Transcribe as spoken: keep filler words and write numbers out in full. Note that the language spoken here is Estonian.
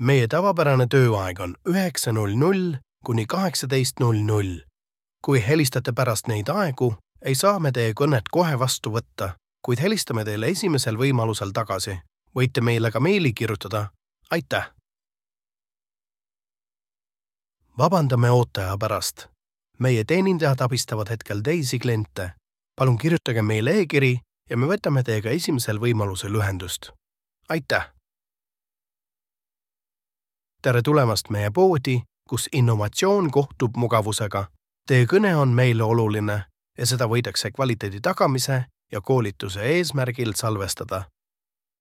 Meie tavapärane tööaeg on üheksa null null kuni kaheksateist null null. Kui helistate pärast neid aegu, ei saa me teie kõnet kohe vastu võtta, kuid helistame teile esimesel võimalusel tagasi. Võite meile ka meili kirjutada. Aitäh! Vabandame ootaja pärast. Meie teenindajad abistavad hetkel teisi kliente. Palun kirjutage meile e-kiri ja me võtame teiega esimesel võimalusel ühendust. Aitäh! Tere tulemast meie poodi, kus innovatsioon kohtub mugavusega. Teie kõne on meile oluline ja seda võidakse kvaliteedi tagamise ja koolituse eesmärgil salvestada.